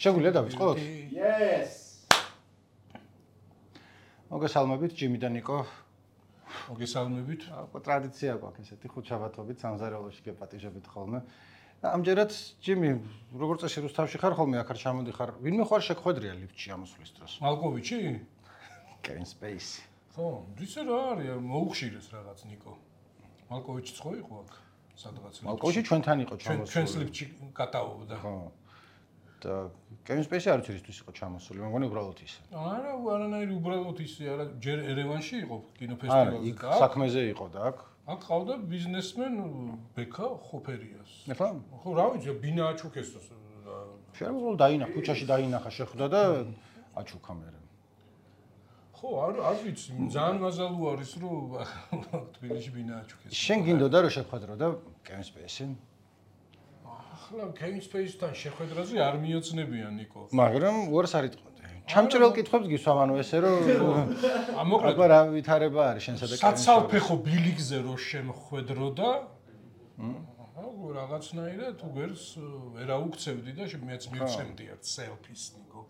შეგვიძლია დავიწყოთ? Yes. მოგესალმებით ჯიმი და ნიკო. მოგესალმებით. ტრადიცია გვაქვს ესეთი ხუთშაბათობით სამზარეულოში გეპატიჟებით ხოლმე. ამჯერად ჯიმი, როგორც წესი რუსთავში ხარ ხოლმე, აქ არ ჩამოდიხარ. ვინმე ხარ შეგხვედრია ლიფტში ამოსვლის დროს? მალკოვიჩი? კევინ სპეისი. ხო, ისე რა არის, მოუხშირეს რაღაც ნიკო. მალკოვიჩიც ხო იყო აქ? სადღაც ლიფტში. მალკოვიჩი ჩვენთან იყო ჩამოსული. ჩვენს ლიფტში კატაობდა. ხო. და კევინ სპეისი არ ვიცი რისთვის იყო ჩამოსული, მე მგონი უბრალოდ ისე. არა, არანაირი უბრალოდ ისე არა, ჯერ ერევანში იყო კინოფესტივალზე იქ საქმეზე იყო და აქ. აქ ყავდა ბიზნესმენ ბექა ხოფერიას. ეხლა? ხო, რა ვიცი, ბინა აჩუქეს. შეიძლება დაინახა, ქუჩაში დაინახა, შეხვდა და აჩუქა მერე. ხო, არ ვიცი, ძალიან მაზალუ არის, რომ თბილისში ბინა აჩუქეს. შენ გინდოდა რომ შეხვედრო და კევინ სპეისი? ახლა კევინ სპეისთან შეხვედრაზე არ მიოცნებიან ნიკო. მაგრამ უარს არ იტყოდე. ჩამჭრელ კითხვებს გისვამ, ანუ ესე რომ მოკლედ აბა რა ვითარება არის შენსა და კევინს? საცალფეხო ბილიკზე რო შემხვედრო და რაღაცნაირად თუ გვერდს ვერა უქცევდი და მეც მივცემდი ერთ სელფის ნიკო.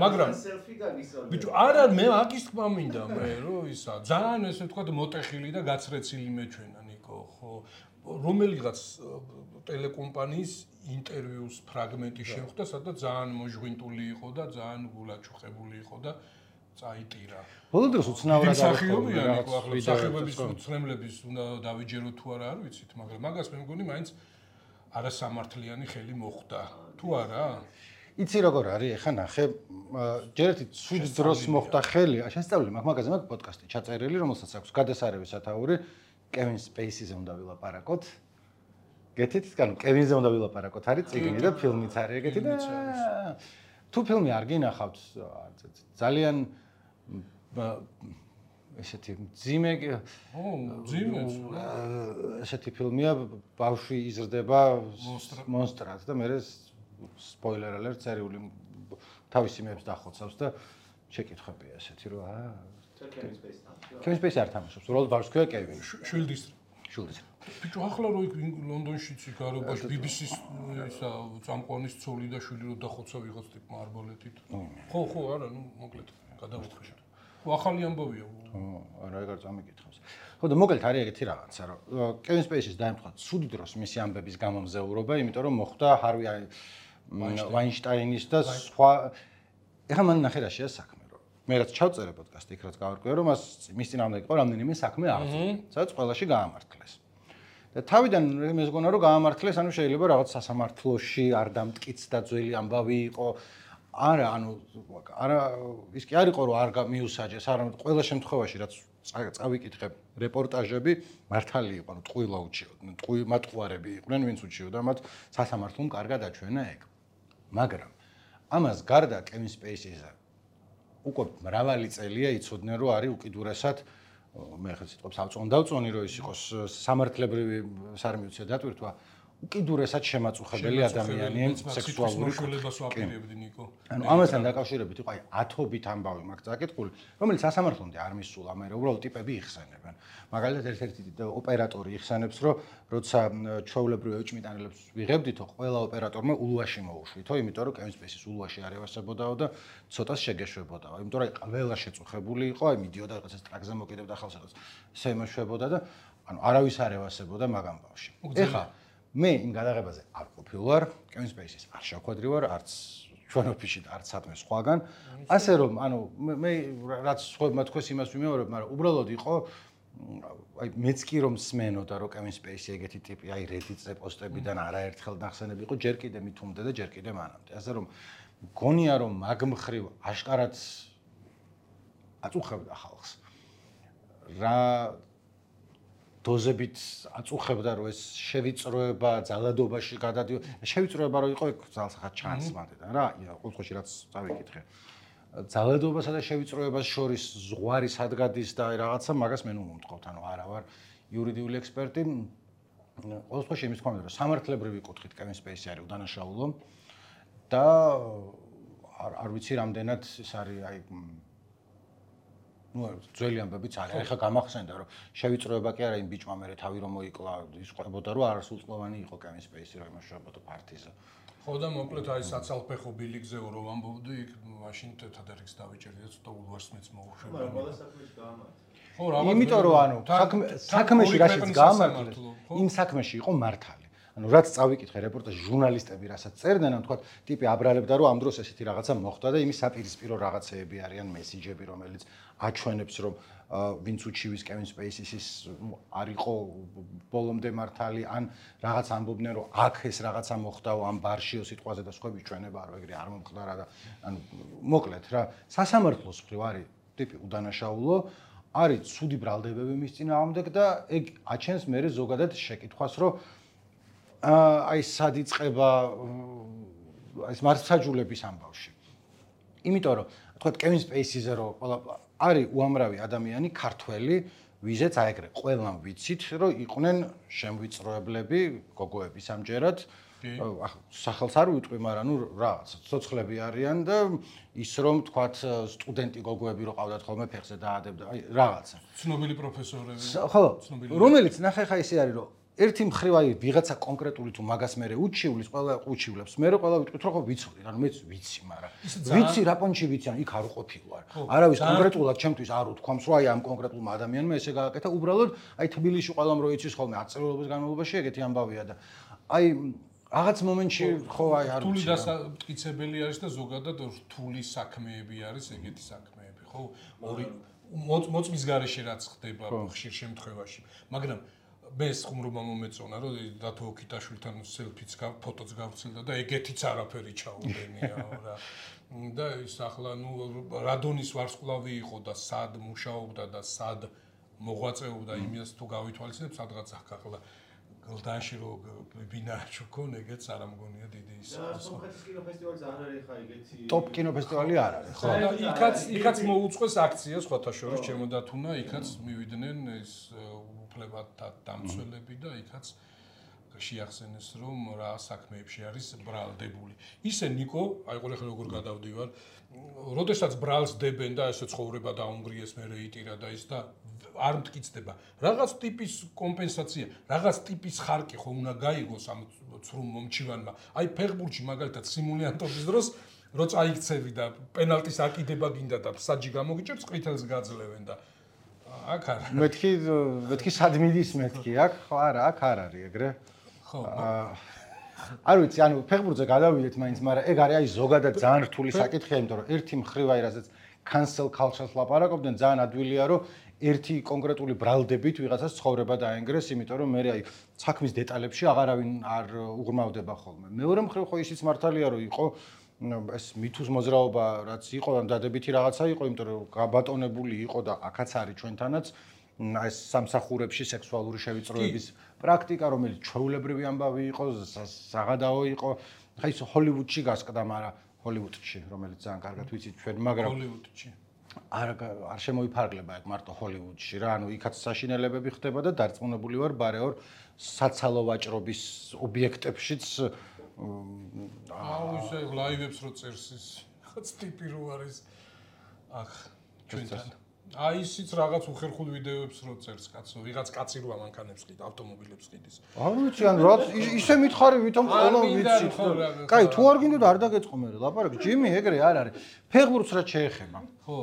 მაგრამ სელფი გაგისვამე. ბიჭო, არა, მე აგის თქმა მინდა მე რომ ისა ძალიან ესე ვთქვა მოტეხილი და გაცრეცილი მეჩვენა ნიკო, ხო? რომელიღაც ტელეკომპანიის ინტერვიუს ფრაგმენტი შეხვდა, სადაც ძალიან მოჟღვინტული იყო და ძალიან გულაჩუხებული იყო და წაიტირა. ბოლო დროს უცნაურად სახიობია ნიკო, ახლა სახიობების უცნებლების უნდა დავიჯერო თუ არა არ ვიცით, მაგრამ მაგას მე მგონი მაინც არასამართლიანი ხელი მოხდა. თუ არა? იცი როგორ არის, ეხა ნახე, ჯერ ერთი ცუდ დროს მოხდა ხელი, შესწავლილი მაქვს მაგაზე, მაგ პოდკასტი ჩაწერილი, რომელსაც აქვს გადასარევი სათაური, კევინ სპეისიზე უნდა ვილაპარაკოთ. გეთით, ანუ კევინზე უნდა ვილაპარაკოთ, არის წიგნი და ფილმიც არის ეგეთი და თუ ფილმი არ გინახავთ, ძალიან ესეთი ძიმე ესეთი ფილმია, ბავშვი იზრდება მონსტრად და მე სპოილერ ალერტ წერიული თავისი მეებს დახოცავს და შეკითხებია ესეთი რომ კევინ სპეისი არ თამაშობს, უბრალოდ ბავშვს ქვია კევინი. შვილდის. ბიჭო, ახლა რო იქ ლონდონშიც იქ გარობაში BBC-ს ისა წამყვანის ცოლი და შვილი რო დახოცა ვიღაც ტიპმა არბალეტით. ხო, არა, ნუ მოკლედ გადავიხშეთ. ხო, ახალი ამბავია. არა, ეგ არ წამიკითხავს. ხო და მოკლედ არის ეგეთი რაღაცა, რომ კევინ სპეისის დაემთხვა ცუდი დროს მისი ამბების გამომზეურობა, იმიტომ რომ მოხდა ჰარვი ვაინშტაინის და სხვა ეხლა მან ნახე რა შეა საქმე. მე რაც ჩავწერე პოდკასტი, იქ რაც გავარკვიე, რომ მის წინამდე იყო რამდენიმე საქმე აღწევ, სადაც ყველაში გაამართლეს. და თავიდან მე მგონა რომ გაამართლეს, ანუ შეიძლება რაღაც სასამართლოში არ დამტკიცდა ძველი ამბავი იყო. არა, ის კი არ იყო რომ არ მიუსაჯეს, არამედ ყველა შემთხვევაში რაც წავიკითხე რეპორტაჟები მართალი იყო, ანუ ტყუილა უჩიოდნენ, მატყუარები იყვნენ, ვინც უჩიოდა მათ სასამართლომ კარგად აჩვენა ეგ. მაგრამ ამას გარდა კევინ სპეისიზე უკვე მრავალი წელია იცოდნენ რომ არის უკიდურესად მე ხა სიტყვებს ავწონ დავწონი რომ ის იყოს სამართლებრივი სარმიუცია დატვირთვა უკიდურესად შემაწუხებელი ადამიანი სექსუალური შვილებას ვაპირებდი ნიკო. ანუ ამასთან დაკავშირებით იყო ათობით ამბავი მაქვს წაკითხული, რომელიც სასამართლომდე არ მისულა, მე უბრალოდ ტიპები იხსენებენ. მაგალითად ერთ-ერთი ოპერატორი იხსენებს, რომ როცა ჩვეულებრივ ეჭმიტანელებს ვიღებდითო, ყველა ოპერატორმა ულვაში მოუშვითო, იმიტომ რომ კევინ სპეისის ულვაში არ ევასებოდაო და ცოტას შეგეშვებოდაო, იმიტომ რომ ყველა შეწუხებული იყო, აი მიდიოდა რაღაცას ტრაკზე მოკიდებდა ხალხს, ესე იმეშვებოდა და ანუ არავის არ ევასებოდა მაგ ამბავში. ეხლა მე იმ გადაღებაზე არ ყოფილვარ, კევინ სპეისის არ შევხვედრი ვარ, არც ჩვენ ოფისში და არც სადმე სხვაგან. ასე რომ, ანუ მე რაც სხვებმა თქვეს იმას ვიმეორებ, მაგრამ უბრალოდ იყო აი მეც კი რომ სმენოდა რომ კევინ სპეისი ეგეთი ტიპი, აი Reddit-ზე პოსტებიდან არაერთხელ ნახსენები იყო, ჯერ კიდე მithumbde და ჯერ კიდე მანამდე. ასე რომ გონია რომ მაგ მხრივ აშკარად აწუხებდა ხალხს. რა დოზებით აწუხებდა რომ ეს შევიწროება ძალადობაში გადადიო. შევიწროება რო იყო, ეგ ძალსახად ჩანს მანდიდან რა, ყოველთვის რაც წავიკითხე. ძალადობასა და შევიწროებას შორის ზღვარი სად გადის და რაღაცა მაგას მე ნუ მომთხოვთ, ანუ არა ვარ იურიდიული ექსპერტი. ყოველთვის იმის თქმა უნდა, რომ სამართლებრივი კუთხით კევინ სპეისი არის უდანაშაულო და არ ვიცი რამდენად ეს არის აი ძველი ამბებიც არის. ეხლა გამახსენდა რომ შევიწროება კი არა იმ ბიჭმა მე თავი რომ მოიკლა ის ყვებოდა რომ არასრულწლოვანი იყო Kevin Spacey რომ იმუშავებოდა პარტიზე. ხო და მოკლედ აი საცალფეხო ბილიკზეო რომ ამბობდი იქ მაშინ თეთრადერიქს დავიჭერდი და ცოტა ულვაშს მოუშვებდა. მაგრამ ყველა საქმეში გაამართლა. ხო რა იმიტომ რომ ანუ საქმეში რაშიც გაამართლეს იმ საქმეში იყო მართალი. ანუ რაც წავიკითხე რეპორტაჟი ჟურნალისტები რასაც წერდნენ, ანუ თქვა ტიპი აბრალებდა რომ ამ დროს ესეთი რაღაცა მოხდა და იმის საპირისპირო რაღაცეები არიან მესიჯები, რომელიც აჩვენებს რომ ვინც უჩივის Kevin Spacey-ის არ იყო ბოლომდე მართალი, ან რაღაც ამბობდნენ რომ აქ ეს რაღაცა მოხდაო ამ ბარშიო სიტყვაზე და სხვები ჩვენება არ ეგრე არ მომხდარა და ანუ მოკლედ რა სასამართლოს მხრივ არის ტიპი უდანაშაულო არის ცუდი ბრალდებები მის წინააღმდეგ და ეგ აჩენს მე ზოგადად შეკითხვას რომ აი სად იწყება აი მართლმსაჯულების ამბავში. იმიტომ რომ თქვა Kevin Spacey-ზე რომ არის უამრავი ადამიანი ქართველი, ვიზეც აეგრე ყველამ ვიცით რომ იყვნენ შემვიწროებლები, გოგოები სამჯერად. სახელს არ ვიტყვი, მაგრამ ნუ რაღაც ცოცხლები არიან და ის რომ თქვათ სტუდენტი გოგოები რო ყავდათ ხოლმე ფეხზე დაადებდა, აი რაღაცა. ცნობილი პროფესორები. ხო, რომელიც ნახე ხა ისე არის რომ ერთი მხრივ აი ვიღაცა კონკრეტული თუ მაგას მე უჩივლის, ყველა უჩივლებს. მე ყველა ვიტყვით რომ ხო ვიცოდი, ანუ მეც ვიცი, მაგრამ ვიცი რა პონჩი ვიცი, ანუ იქ არ უყოფი ვარ. არავის კონკრეტულად ჩემთვის არ უთქვამს რომ აი ამ კონკრეტულმა ადამიანმა ესე გააკეთა, უბრალოდ აი თბილისში ყველამ რო იცის ხოლმე 10 წელობის განმავლობაში ეგეთი ამბავია და აი რაღაც მომენტში ხო აი არ რთული დასამტკიცებელი არის და ზოგადად რთული საქმეები არის ეგეთი საქმეები, ხო? ორი მოწმის გარეშე რაც ხდება ხშირ შემთხვევაში. მაგრამ მეს ხუმრობა მომეწონა რომ დათო ოქიტაშვილთან სელფიც ფოტოც გავცილდა და ეგეთიც არაფერი ჩაუდენია რა. და ის ახლა ნუ რადონის ვარსკვლავი იყო და სად მუშაობდა და სად მოღვაწეობდა იმას თუ გავითვალისწინებ სადღაც ახლა გლდანში რო ბინაჩო ქონ ეგეც არ ამგონია დიდი ის. სომხეთის კინოფესტივალიც არ არის ხა ეგეთი. ტოპ კინოფესტივალი არ არის, ხო? იქაც მოუწყვეს აქცია სხვათა შორის ჩემოდათუნა, იქაც მივიდნენ ეს უფლებათა დამცველები და იქაც შეახსენეს რომ რა საქმეებში არის ბრალდებული. ისე ნიკო, აი ყოლე ხე როგორ გადავდივარ, როდესაც ბრალს დებენ და ესე ცხოვრება დაუნგრიეს მე რეიტირა და ის და არ მტკიცდება. რაღაც ტიპის კომპენსაცია, რაღაც ტიპის ხარკი ხო უნდა გაიგოს ამ ცრუ მომჩივანმა. აი ფეხბურთში მაგალითად სიმულიანტობის დროს რო წაიქცევი და პენალტის აკიდება გინდა და საჯი გამოგიჭებს, ყვითელს გაძლევენ და აქ არა. მეთქი სად მიდის მეთქი აქ? ხო არა, აქ არ არის ეგრე. ხო. არ ვიცი, ანუ ფეხბურთზე გადავიდეთ მაინც, მაგრამ ეგ არის აი ზოგადად ძალიან რთული საკითხია, იმიტომ რომ ერთი მხრივ აი რასაც cancel culture-ს ლაპარაკობდნენ, ძალიან ადვილია რომ ერთი კონკრეტული ბრალდებით ვიღაცას ცხოვრება დაენგრეს, იმიტომ რომ მე აი საქმის დეტალებში აღარავინ არ უღრმავდება ხოლმე. მეორე მხრივ ხო ისიც მართალია რომ იყო ეს მითუს მოძრაობა რაც იყო, დადებითი რაღაცა იყო, იმიტომ რომ გაბატონებული იყო და აქაც არის ჩვენთანაც ეს სამსახურებში სექსუალური შევიწროების პრაქტიკა, რომელიც ჩვეულებრივი ამბავი იყო, საღადაო იყო. ხა ის ჰოლივუდში გასკდა, მაგრამ ჰოლივუდში, რომელიც ძალიან კარგად ვიცით ჩვენ, მაგრამ ჰოლივუდში არ შემოიფარგლება ეგ მარტო ჰოლივუდში რა, ანუ იქაც საშინელებები ხდება და დარწმუნებული ვარ ბარეორ საცალო ვაჭრობის ობიექტებშიც აუ ისე ლაივებს რო წერს ის ხაც ტიპი რო არის ახ ჩვენთან აი ისიც რაღაც უხერხულ ვიდეოებს რო წერს კაცო ვიღაც კაცი რო ამანქანებს ყიდ ავტომობილებს ყიდის არ ვიცი ანუ რა ისე მითხარი ვითომ ყველა ვიცი კაი თუ არ გინდოდა არ დაგეწყო მე ლაპარაკი ჯიმი ეგრე არ არის ფეხბურთს რა შეეხება ხო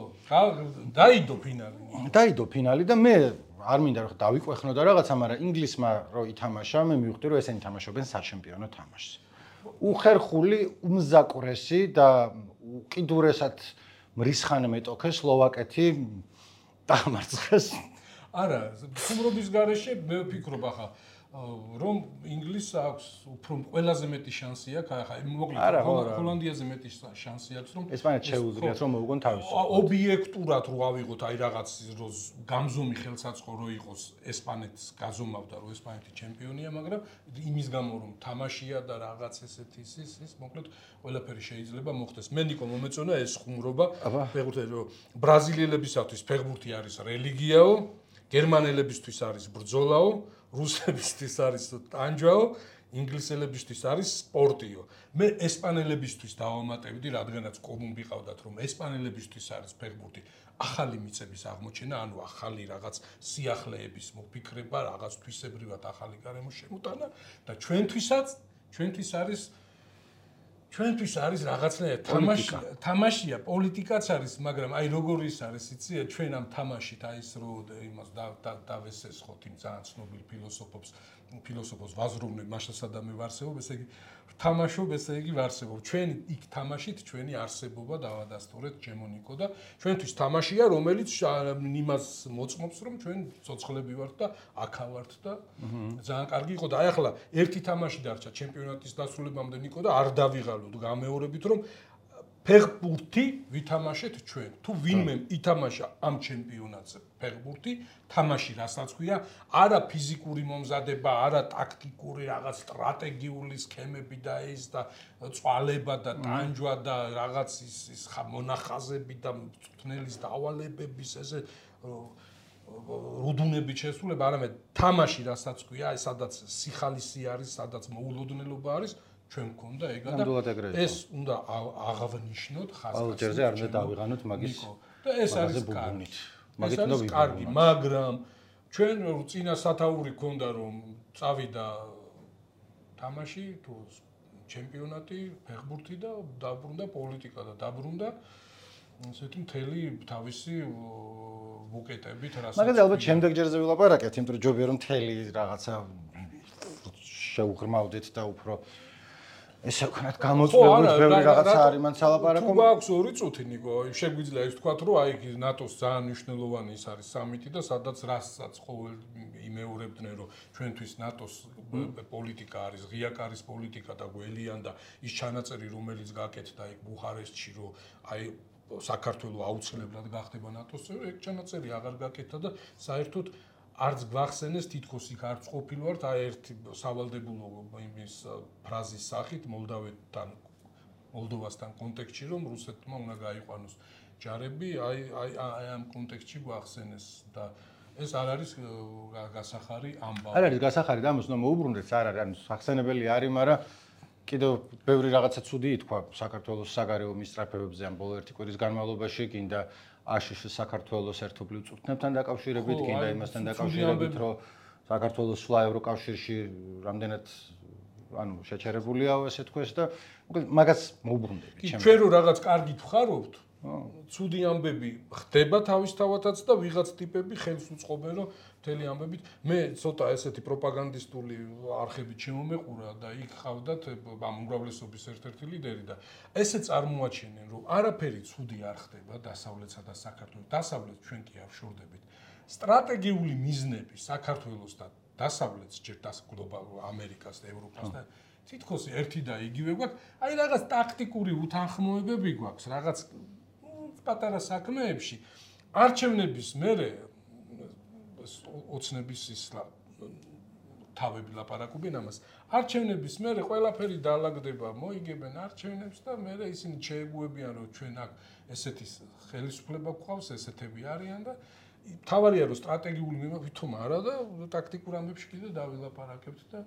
დაიდო ფინალი და მე არ მინდა რომ დავიყვეხნო და რაღაცა მაგრამ ინგლისმა რო ითამაშა მე მივხვდი რომ ესენი თამაშობენ საჩემპიონო თამაშს უხერხული უმზაკვრესი და უკიდურესად მრისხანე მეტოქე სლოვაკეთი დამარცხეს. არა, ხუმრობის გარეშე მე ვფიქრობ ახლა რომ ინგლისს აქვს უფრო ყველაზე მეტი შანსი აქვს, ახლა მოკლედ ჰოლანდიაზე მეტი შანსი აქვს რომ ესპანეთს შეუძლიათ რომ მოუგონ თავისუფლება. ობიექტურად რო ავიღოთ აი რაღაც გამზომი ხელსაწყო რო იყოს ესპანეთს გაზომავდა რომ ესპანეთი ჩემპიონია, მაგრამ იმის გამო რომ თამაშია და რაღაც ესეთი ის მოკლედ ყველაფერი შეიძლება მოხდეს. მე ნიკო მომეწონა ეს ხუმრობა ფეხბურთი რომ ბრაზილიელებისათვის ფეხბურთი არის რელიგიაო, გერმანელებისთვის არის ბრძოლაო, რუსებისთვის არის ტანჯვაო, ინგლისელებისთვის არის სპორტიო. მე ესპანელებისთვის დავამატებდი, რადგანაც კომუნ ვიყავდათ, რომ ესპანელებისთვის არის ფეხბურთი ახალი მიწების აღმოჩენა, ანუ ახალი რაღაც სიახლეების მოფიქრება, რაღაც თვისებრივად ახალი გარემოს შემოტანა და ჩვენთვის არის რაღაცნაირად თამაშია, პოლიტიკაც არის, მაგრამ აი როგორ ის არის, იცი, ჩვენ ამ თამაშით აი ეს რო იმას დავესესხოთ იმ ძალიან ცნობილ ფილოსოფოს ვაზროვნებ მასშტაბსადამე ვარსებობ, ესე იგი თამაშობ, ესე იგი ვარსებობ. ჩვენ იქ თამაშით ჩვენი არსებობა დავადასტურეთ ჩემონიკო და ჩვენთვის თამაშია, რომელიც იმას მოწმობს, რომ ჩვენ ცოცხლები ვართ და აქა ვართ და ძალიან კარგი იყო და აი ახლა ერთი თამაში დარჩა ჩემპიონატის დასრულებამდე ნიკო და არ დავიღალოთ გამეორებით, რომ ფეხბურთი ვითამაშეთ ჩვენ. თუ ვინმე ითამაშა ამ ჩემპიონატზე ფეხბურთი, თამაში რასაც ქვია, არა ფიზიკური მომზადება, არა ტაქტიკური რაღაც სტრატეგიული სქემები და ის და წვალება და ტანჯვა და რაღაც ის მონახაზები და მწვრთნელის დავალებების ესე რუდუნებით შესრულება, არამედ თამაში რასაც ქვია, სადაც სიხალისი არის, სადაც მოულოდნელობა არის. ჩვენ მქონდა ეგა და ეს უნდა აღავნიშნოთ ხაზგასმით. ჯერზე არ უნდა დავიღანოთ მაგის და ეს არის კარგი. ეს არის კარგი, მაგრამ ჩვენ წინა სათაური ქონდა რომ წავიდა თამაში თუ ჩემპიონატი, ფეხბურთი და დაბრუნდა პოლიტიკა და დაბრუნდა ესეთი მთელი თავისი ბუკეტებით რასაც. მაგაზე ალბათ შემდეგ ჯერზე ვილაპარაკეთ, იმიტომ რომ ჯობია რომ მთელი რაღაცა შეუღრმავდეთ და უფრო ესე ვქნათ გამოწვევით ბევრი რაღაცა არის მან სალაპარაკო. თუ გვაქვს 2 წუთი ნიკო, შეგვიძლია ის თქვათ, რომ აი ნატოს ძალიან მნიშვნელოვანი ის არის სამიტი და სადაც რასაც ყოველ იმეორებდნენ, რომ ჩვენთვის ნატოს პოლიტიკა არის ღია კარის პოლიტიკა და გველიან და ის ჩანაწერი, რომელიც გაკეთდა იქ ბუხარესტში, რომ აი საქართველოს აუცილებლად გახდება ნატოს წევრი, ეგ ჩანაწერი აღარ გაკეთდა და საერთოდ არც გვახსენეს თითქოს იქ არც ყოფილვართ აი ერთი სავალდებულო იმის ფრაზის სახით მოლდოვასთან კონტექსტში რომ რუსეთმა უნდა გაიყვანოს ჯარები აი ამ კონტექსტში გვახსენეს და ეს არ არის გასახარი ამბავი. არ არის გასახარი და ამას უნდა მოუბრუნდეთ, არ არის, ანუ სახსენებელი არის, მაგრამ კიდევ ბევრი რაღაცა ცუდი ითქვა საქართველოს საგარეო მისწრაფებებზე ამ ბოლო ერთი კვირის განმავლობაში, კიდე აშშ საქართველოს ერთობლივ წვრთნებთან დაკავშირებით, კიდე იმასთან დაკავშირებით, რომ საქართველოს სვლა ევროკავშირში რამდენად ანუ შეჩერებულია ესე თქვეს და მაგას მოუბრუნდები ჩემს. ჩვენ რო რაღაც კარგი ვხარობთ, ცუდი ამბები ხდება თავისთავადაც და ვიღაც ტიპები ხელს უწყობენ რომ მთელი ამბებით მე ცოტა ესეთი პროპაგანდისტული არხებით შემომეყურა და იქ ხავდათ ამ უმრავლესობის ერთ-ერთი ლიდერი და ესე წარმოაჩენენ რომ არაფერი ცუდი არ ხდება დასავლეთსა და საქართველოს. დასავლეთ ჩვენ კი ავშორდებით. სტრატეგიული მიზნები საქართველოს და დასავლეთს ჯერ გლობალურ ამერიკას და ევროპას და თითქოს ერთი და იგივე გვაქვს. აი რაღაც ტაქტიკური უთანხმოებები გვაქვს, რაღაც პატარა საქმეებში არჩევნების მერე ოცნების ის თავები ლაპარაკობენ ამას. არჩევნების მერე ყველაფერი დაალაგდება, მოიგებენ არჩევნებს და მერე ისინი შეეგუებიან რომ ჩვენ აქ ესეთი ხელისუფლება გვყავს, ესეთები არიან და თავარია რომ სტრატეგიული ვითომ არა და ტაქტიკურ ამბებში კიდე დავილაპარაკებთ და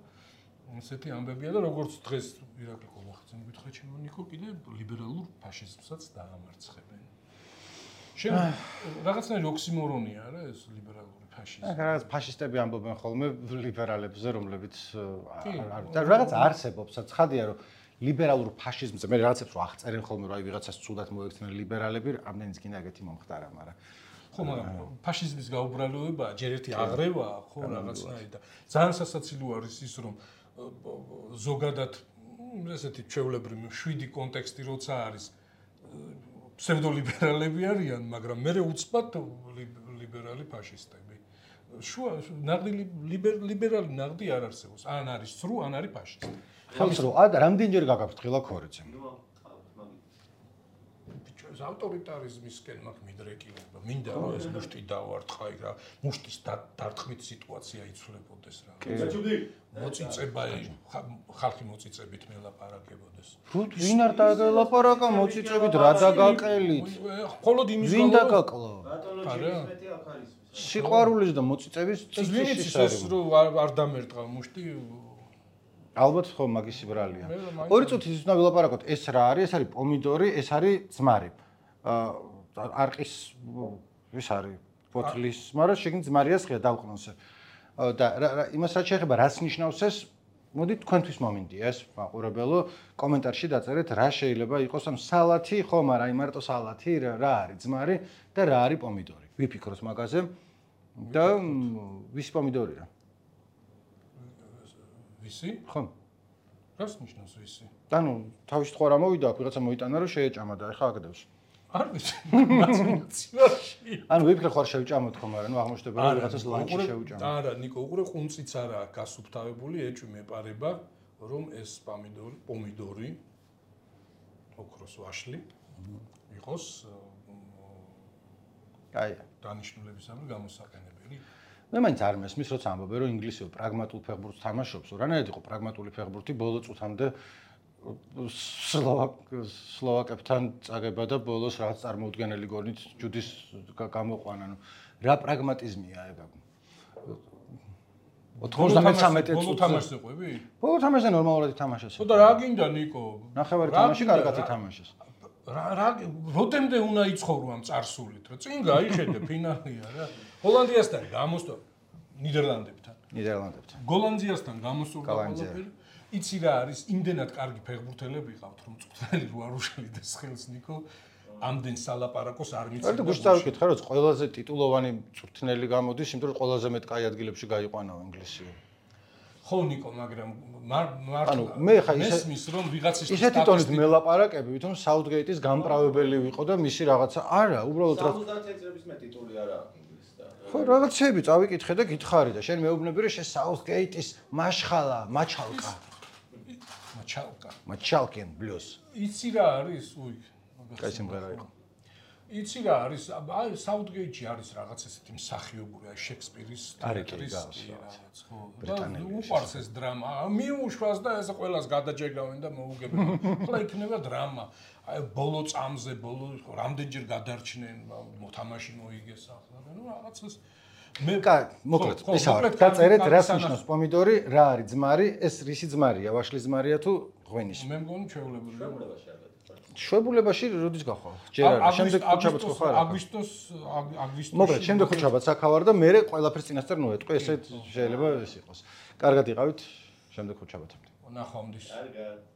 ესეთი ამბებია და როგორც დღეს ირაკლი ყოლახაძემ გითხრა ჩემონიკო კიდე ლიბერალურ ფაშიზმსაც დაამარცხებენ. რაღაცნაირი ოქსიმორონია რა ეს ლიბერალური ფაშიზმი. რაღაც ფაშისტები ამბობენ ხოლმე ლიბერალებზე, რომლებიც რაღაც არსებობს, ცხადია რომ ლიბერალურ ფაშიზმზე მე რაღაცებს რო აღწერენ ხოლმე რომ აი ვიღაცას ცუდად მოექცნენ ლიბერალები, ამდენიც კიდე ეგეთი მომხდარა, მაგრამ ხო, მაგრამ ფაშიზმის გაუბრალოება ჯერ ერთი აღრევაა, ხო, რაღაცნაირი და ძალიან სასაცილო არის ის რომ ზოგადად ესეთი ჩვეულებრივი შვიდი კონტექსტი როცა არის ფსევდოლიბერალები არიან, მაგრამ მე უცბად ლიბერალი ფაშისტები. შუა ნაღდი ლიბერალი ნაღდი არ არსებობს. ან არის სრუ, ან არის ფაშისტი. ხალხს რო რამდენჯერ გაგაფრთხილა ქორეცემ. ეს ავტორიტარიზმისკენ მაგ მიდრეკილება. მინდა რომ ეს მუშტი დავარტყაი რა. მუშტის დარტყმით სიტუაცია იცვლებოდეს რა. მოწიწება ხალხი მოწიწებით მელაპარაკებოდეს. ვინ არ დაგელაპარაკა მოწიწებით რა დაგაყელით? მხოლოდ იმის ვინ დაგაკლა? ბატონოჯი აქ არის. სიყვარულის და მოწიწების წინში ეს რო არ დამერტყა მუშტი ალბათ ხო მაგის ბრალია. 2 წუთი ის უნდა ვილაპარაკოთ, ეს რა არის? ეს არის პომიდორი, ეს არის ძმარი. არყის ის არის ფოთლის, მაგრამ შეგნით ძმარიას ხია დავყნოსე. და იმას რაც შეეხება რას ნიშნავს ეს მოდით თქვენთვის მომინდია ეს მაყურებელო კომენტარში დაწერეთ რა შეიძლება იყოს ამ სალათი ხო მაგრამ აი მარტო სალათი რა არის ძმარი და რა არის პომიდორი ვიფიქროთ მაგაზე და ვის პომიდორია ვისი ხო რას ნიშნავს ვისი ანუ თავის თქვა რა მოვიდა აქ ვიღაცა მოიტანა რომ შეეჭამა და ეხა აგდებს არ ვიცი მაცინაციაში ანუ ვიფიქრე ხარ შევჭამოთ ხო მაგრამ ნუ აღმოჩნდება რომ ვიღაცას ლანჩი შევჭამა არა ნიკო უყურე ყუნწიც არა გასუფთავებული ეჭვი მეპარება რომ ეს პომიდორი ოქროს ვაშლი იყოს აი დანიშნულებისამი გამოსაყენებელი მე მაინც არ მესმის როცა ამბობენ რომ ინგლისური პრაგმატულ ფეხბურთს თამაშობს რანაირად იყო პრაგმატული ფეხბურთი ბოლო წუთამდე სლოვაკებთან წაგება და ბოლოს რაღაც წარმოუდგენელი გოლით ჯუდის გამოყვანა. ნუ რა პრაგმატიზმია ეგ? 93 ბოლო თამაშზე ყვები? ბოლო თამაშზე ნორმალურად ითამაშეს. ხო და რა გინდა ნიკო? ნახევარი თამაში კარგად ითამაშეს. რა როდემდე უნდა იცხოვრო ამ წარსულით, რა წინ გაიხედე ფინალია რა. ჰოლანდიასთან გამოსტო ნიდერლანდებთან. გოლანდიასთან გამოსურდა ყველაფერი. იცი რა არის იმდენად კარგი ფეხბურთელები ყავთ რომ წვრთნელი რო არ უშელიდეს ხელს ნიკო ამდენ სალაპარაკოს არ მიცემ. არა გუშტავ ვკითხე რომ ყველაზე ტიტულოვანი წვრთნელი გამოდის, იმიტომ რომ ყველაზე მეტ კაი ადგილებში გაიყვანა ინგლისი. ხო ნიკო, მაგრამ მარტო მე ხა ისმის რომ ვიღაცის ისეთი ტონით მელაპარაკები, ვითომ საუთგეიტის გამправებელი ვიყო და მისი რაღაცა არა, უბრალოდ 70 წლების მე ტიტული არა ინგლისთან. ხო, რაღაცები წავიკითხე და გითხარი და შენ მეუბნები რომ შენ საუთგეიტის მაშხალა, მაჩალკა. მაჩალკენ ბლუს. იცი რა არის? უი, კაი სიმღერა იყო. იცი რა არის? აი საუთგეიტში არის რაღაც ესეთი მსახიობური, აი შექსპირის თეატრის რაღაც, ხო. უყარს ეს დრამა. მიუშვას და ეს ყველას გადაჯერგავენ და მოუგებენ. ხოლმე იქნება დრამა. აი ბოლო წამზე, ბოლო რამდენჯერ გადარჩნენ, მოთამაში მოიგეს ახლა და ნუ რაღაცას მე მოკლედ ეს არის დაწერეთ რას ნიშნავს პომიდორი რა არის ძმარი ეს რისი ძმარია ვაშლის ძმარია თუ ღვინის მე მგონი ჩვეულებრივია შვებულებაში როდის გახვალ ჯერ არა შემდეგ ხუჩაბაც ხო ხარ აგვისტოში მოკლედ შემდეგ ხუჩაბაც აქავარ და მე ყველაფერს წინასწარ ნოეტყვი ესე შეიძლება ეს იყოს კარგად იყავით შემდეგ ხუჩაბათამდე ნახვამდის კარგად